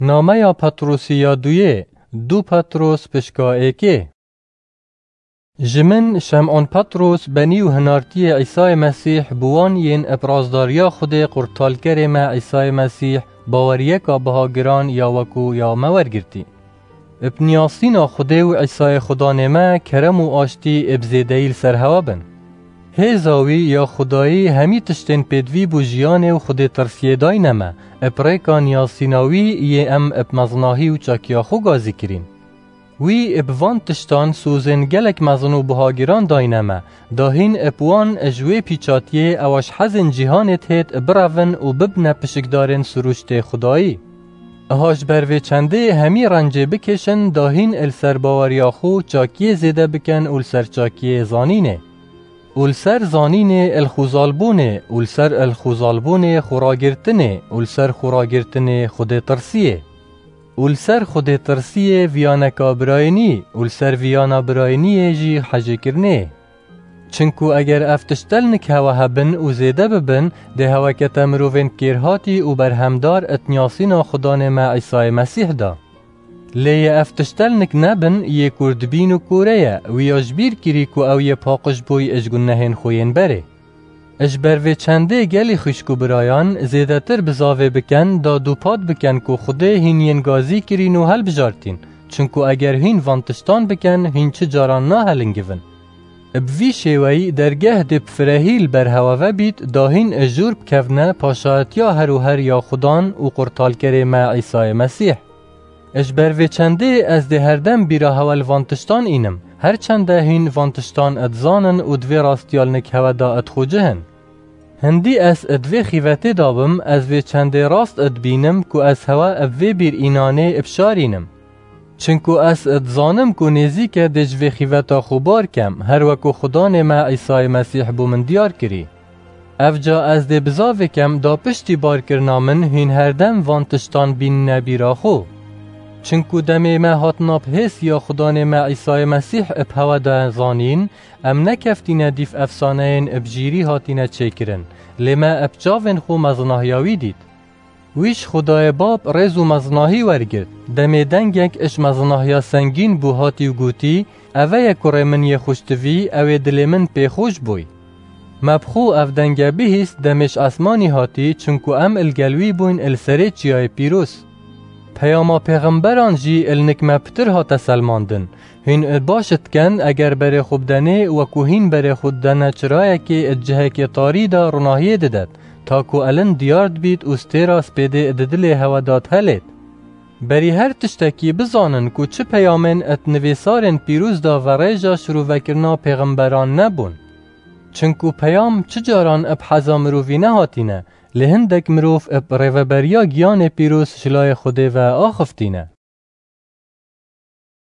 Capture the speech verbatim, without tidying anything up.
Nameya Petrosî ya duyê, du Petros pişka êkê. Ji min, Şem'on Petros, benî û hinartiyê Îsayê Mesîh, bi wan yên ib razdariya Xwedê qurtalkerê me Îsayê Mesîh, baweriyeka biha giran ya wekû ya me wergirtî. Ib niyasîna Xwedê û Îsayê Xudanê me kerem û aştî ib zêdeyî li ser hewa bin. Hêza wî ya Xwedayî hemî tiştên pêdivî bû jiyanê û Xwedê tirsiyê dayne me, ib rêka niyasîna wî yê em ib mezinahî û çakiya xwe gazî kirîn. Wî ib van tiştan sozên gelek mezin û buhagiran dayne me, da hîn ib wan ji wê pîçatiyê ewa ji hezên cîhanê dihêt birevin û bibne pişikdarên sirûştê Xwedayî. Aha ji ber vê çendê hemî rencê bikêşin, da hîn li ser baweriya xwe çakiyê zêde bikin û li ser çakiyê zanînê. Û li ser zanînê ilxûzalbûnê, û li ser ilxûzalbûnê xuragirtinê, û li ser xuragirtinê xudêtirsiyê. Û li ser xudêtirsiyê viyaneka birayînî, û li ser viyana birayîniyê jî hejêkirinê. Çinku eger ev tiştelnik hewe hebin û zêde bibin, dê hewekete mirovên kêrhatî û berhemdar it niyasîna Xudanê me Îsayê Mesîh da. Lê yê ev tiştelnik nebin, yê kurdbîn û kûre ye, wî ya ji bîr kirî ku ew yê paqij bûy ji gunehên xwe yên berê. Ji ber vê çendê gelî xwişk û birayan, zêdetir bizavê biken, da dûpat biken ku Xwedê hîn yên gazî kirîn û helbijartîn, çinku eger hîn van tiştan biken, hîn çi caran nahelingivin. Bi vî şêweyî dergeh dê bi firehî li ber hewa ve bît, da hîn jûr bikevne paşayetiya her û her ya Xudan û qurtalkerê me Îsayê Mesîh. Ji ber vê çendê ez dê herdem bîra hewe li van tiştan înim, her çende hîn van tiştan dizanin û di vê rastiyalnik hewe da dixwicihin. Hindî ez di vê xîvetê da bim, ez vê çendê rast dibînim ku ez hewe bi vê bîr înanê bişarînim. Çinku ez dizanim ku nêzîk e dê ji vê xîveta xwe bar kem, her weku Xudanê me Îsayê Mesîh bo min diyar kirî. Ev ca ez dê bizavê kem da piştî barkirina min hîn herdem van tiştan bînine bîra xwe. Çinku demê me hatina bi hêsiya Xudanê me Îsayê Mesîh bi hewe de zanîn, em nekeftîne dîv efsaneyên bi jîrî hatine çêkirin, lê me bi çavên xwe mezinahiya wî dît. Wî ji Xwedayê Bab rêz û mezinahî wergirt. Demê dengek ji mezinahiya sengîn bû hatî û gotî, Eve ye kurê min yê xweştivî, ew ê dilê min pê xweş bûy. Me bi xwe ev denge bihîst demê ji esmanî hatî, çinku em li gel wî bûyn li serê çiyayê pîroz. Peyama pêxemberan jî li nik me pitir hate selmandin. Hîn baş diken, eger berê xwe bidenê, weku hîn berê xwe didene çirayekê di cihekê tarî de ronahiyê didet, ta ku elin diyar dibît û stêra spêdê di dilê hewe de dihelêt. Berî her tiştekî bizanin ku çi peyamên di nivîsarên pîroz de verêja şirûvekirina pêxemberan nebûn. Çinku peyam çi caran bi heza mirovî nehatîne, lê hindek mirov bi rêveberiya giyanê pîroz ji layê Xwedê ve axiftîne.